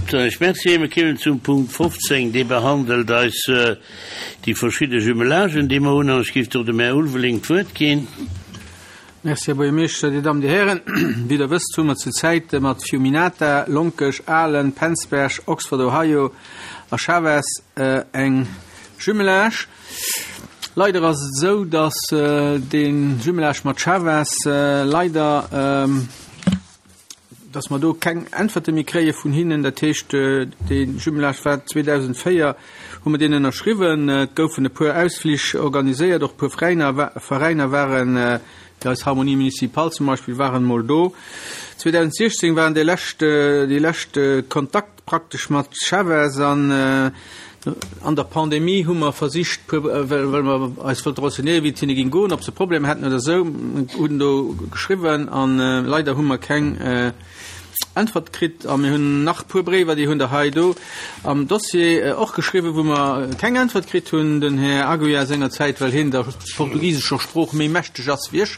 Soen ech Merci. Mir kéimen zum Punkt 15, dee behandelt eis déi verschidde Jumelagen, déi mer hunn. An ech géif do dem Här Ulveling d'Wuert ginn. Merci, Här Buergermeeschter, Dir Dammen, Dir Hären. Wéi Der wësst, hu mer zur Zäit mat Fiuminata, Lonkech, Ahlen, Penzberg, Oxford, Ohio a Chaves eng Jumelage. Leider ass et esou, dass dee Jumelage mat Chaves leider, dass mer do keng Äntwerte méi kréie vun hinnen. Dat heescht, dee Jumelage war 2004, hu mer deen ënnerschriwwen. Et goufen e puer Ausflich organiséiert, och e puer Veräiner, Veräiner waren, wéi eis Harmonie municipale zum Beispill, waren emol do. 2016 waren déi lescht, déi lescht Kontakt praktesch mat Chavez an an der Pandemie hu mer versicht, well well mer eis wollte renseignéieren, wéi et hinne géing goen, ob se Problemer hätten oder esou, hunn do geschriwwen an leider hu mer keng Äntwert kritt. A mir hunn nach e puer Bréiwer, déi hunn Der hei do am Dossier och geschriwwen, wou mer keng Äntwert kritt hunn. Den Här Aguiar sengerzäit, well hien der portugisescher Sprooch méi mächteg ass wéi ech,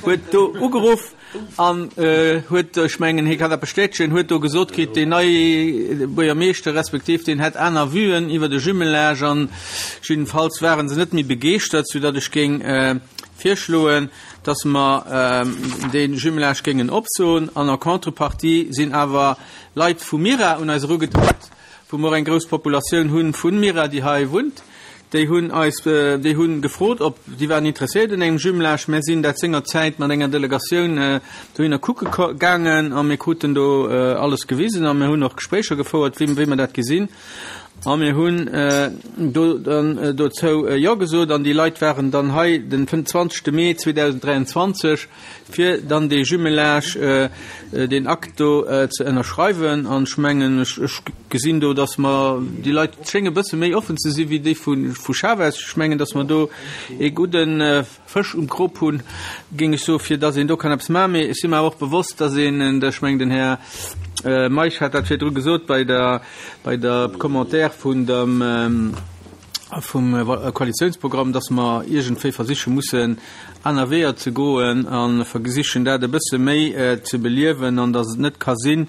huet do ugeruff. An huet, ech mengen, hie kann dat bestätegen, huet do gesot kritt, deen neie Buergermeeschter respektiv deen hätt aner Vuen iwwer de Jumelage an jiddefalls ware se net méi begeeschtert, soudatt ech géing virschloen, datt mer dee Jumelage géingen opsoen. An en contrepartie sinn awer Leit vu Mira un eis erugetratt, wou mer och eng grouss Populatioun hu vu Mira, déi hei wunnt, déi hunn eis, déi hu gefrot, ob, déi waren interesséiert un engem Jumelage. Mär sinn dat sengerzäit mat enger Delegatioun dohinner kucke gaangen a mir kruten do alles gewisen a mir hunn och Gespréicher gefouert, wéi, wéi mer dat gesinn. A mir hunn do dann dozou Jo gesot an déi Leit waren dann hei den 20. Mee 2023. fir dann dee Jumelage, deen Akt do ze ënnerschreiwen. An ech mengen, ech gesinn do, datt mer, déi Leit schénge bësse méi offen ze si wéi déi vu Chaves. Ech mengen, datt mer do ee gudde Fësch um Krop hunn, géing ech soen, fir datt een do kann eppes maachen. Mee ech si mer awer och bewosst, datt een, ech mengen, den Här Meisch hat dat virdru gesot bei der, bei der Commentaire vun dem, vum Koalitiounsprogramm, dass mer iergendwéi versiche mussen, aner Weeër ze goen a versichen, dat e bësse méi ze beliewen an dass et net ka sinn,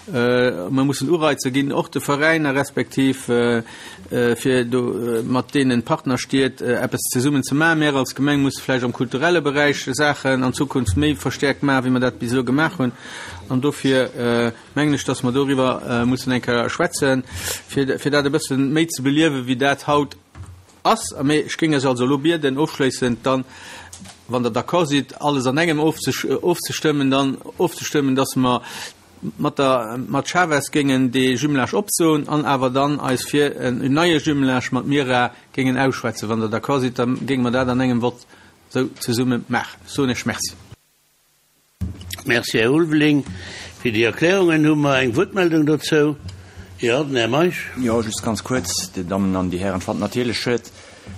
mer mussen Ureizer ginn, och de Veräiner respektiv, fir do mat deene Partnerstied eppes zesummen ze maachen. Mär als Gemeng musse vläicht am kulturelle Beräich Saachen an Zukunft méi verstäerkt maachen, wéi mer dat bis elo gemaach hunn. An dofir. mengen ech, dass mer doriwwer mussen eng Kéier schwätzen, fir, fir dat e bësse méi ze beliewen, wéi dat haut ass. A mee ech géing Iech also elo bieden, ofschléissend dann, wann Der d'accord sidd, alles an engem ofzestëmmen, dann ofzestëmmen, dass mer mat der, mat Chavez géingen dee Jumelage opsoen an awer dann eis fir en neie Jumelage mat Mira géingen ausschwätzen. Wann Der d'accord sidd, da géinge mer dat an engem Vott esou zesumme maachen. Ech soen Iech Merci. Merci, Här Ulveling, fir déi Erklärungen. Hu mer eng Wuertmeldung dozou? Jo, den Här Meisch. Jo, just ganz kuerz, Dir Dammen an Dir Hären. Ech fannen natierlech schued,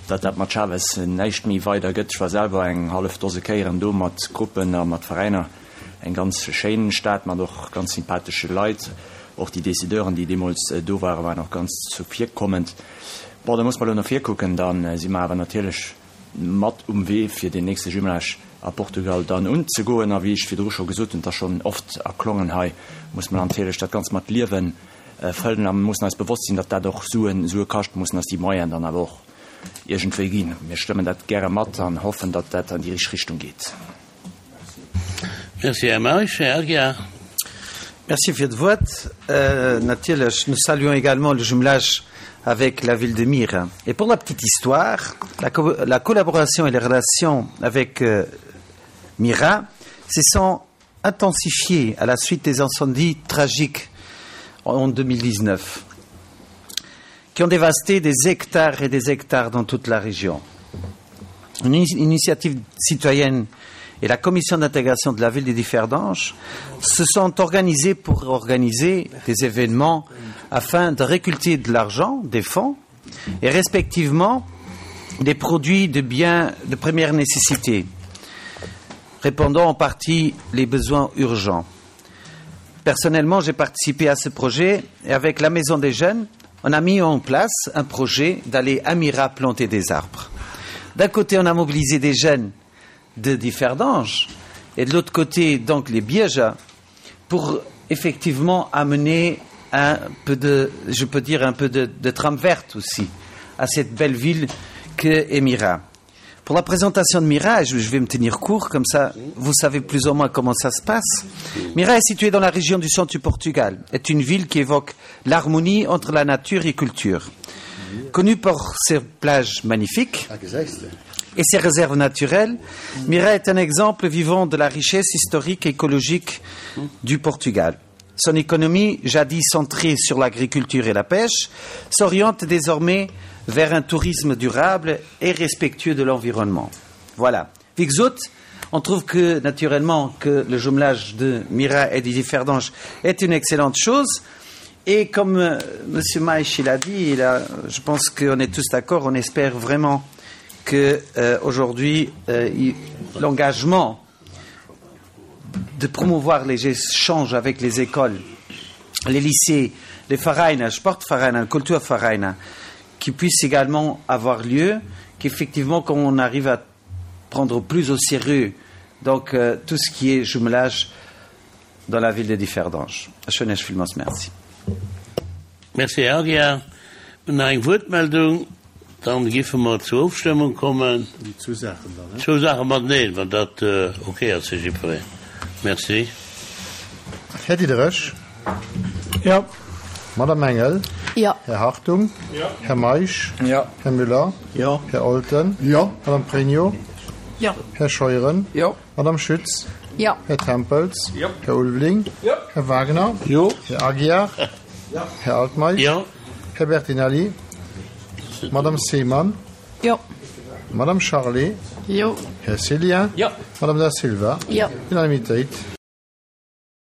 datt dat mat Chaves näischt méi weider gëtt. Ech war selwer eng hallef Dose Kéieren do mat Gruppen a mat Veräiner. Eng ganz schéin Stad mat och ganz sympathesche Leit. Och déi Décideuren, déi deemools do waren, waren och ganz zuvirkommend. Bon, da muss mer elo no vir kucken. Da si mer awer natierlech mat um Wee fir deen nächste Jumelage a Portugal dann unzegoen. A wéi ech virdru scho gesot hunn, et ass schonn oft erklongen hei, muss mer natierlech dat Ganzt mat Liewe fëllen a mir mussen eis bewosst sinn, datt dat och Suen, Sue kascht. Mir mussen eis déi Moyenen dann awer och iergendwéi ginn. Mir stëmmen dat gäre mat an hoffen, datt dat an déi richteg Richtung geet. Merci, Här Meisch. Här Aguiar. Merci fir d'Wuert. Natierlech, nous saluons également le jumelage avec la ville de Mira. Et pour la petite histoire, la, co la collaboration et les relations avec euh, Mira se sont intensifiées à la suite des incendies tragiques en 2019 qui ont dévasté des hectares et des hectares dans toute la région. Une initiative citoyenne et la commission d'intégration de la ville de Differdange se sont organisées pour organiser des événements afin de récolter de l'argent, des fonds et respectivement des produits de biens de première nécessité, répondant en partie les besoins urgents. Personnellement, j'ai participé à ce projet et avec la Maison des jeunes, on a mis en place un projet d'aller à Mira planter des arbres. D'un côté, on a mobilisé des jeunes de Differdange et de l'autre côté, donc les Biéja, pour effectivement amener un peu de, je peux dire un peu de, de trame verte aussi à cette belle ville que est Mira. Pour la présentation de Mira, je vais me tenir court, comme ça vous savez plus ou moins comment ça se passe. Mira est située dans la région du centre du Portugal, est une ville qui évoque l'harmonie entre la nature et culture. Connue pour ses plages magnifiques et ses réserves naturelles, Mira est un exemple vivant de la richesse historique et écologique du Portugal. Son économie, jadis centrée sur l'agriculture et la pêche, s'oriente désormais vers un tourisme durable et respectueux de l'environnement. Voilà. Vixout, on trouve que naturellement que le jumelage de Mira et Didier Ferdange est une excellente chose. Et comme euh, M. Maïch l'a dit, il a, je pense qu'on est tous d'accord, on espère vraiment que euh, aujourd'hui euh, l'engagement de promouvoir les échanges avec les écoles, les lycées, les Vereine, Sportvereine, Kulturvereine, qui puissent également avoir lieu, qu'effectivement quand on arrive à prendre plus au sérieux donc euh, tout ce qui est jumelage dans la ville de Differdange. Merci. Merci Agia. Nach eng Wuertmeldung, dann giffe mer zur Ofstëmmung kommen. Zwou Saachen dann, he? Zwou Saache mateneen, wann dat ok ass fir jiddwereen. Merci. Här Diderich. Jo. Madame Engel. Jo. Här Hartung. Jo. Här Meisch. Jo. Här Müller. Jo. Här Olten. Jo. Madame Pregno. Jo. Här Scheuren. Jo. Madame Schütz. Jo. Här Tempels. Jo. Här Ulveling. Jo. Här Wagner. Jo. Här Aguiar. Jo. Här Altmeisch. Jo. Här Bertinelli. Madame Seemann. Jo. Madame Charlé. Jo. Här Cillien. Jo. Madame Da Silva. Jo. Unanimitéit.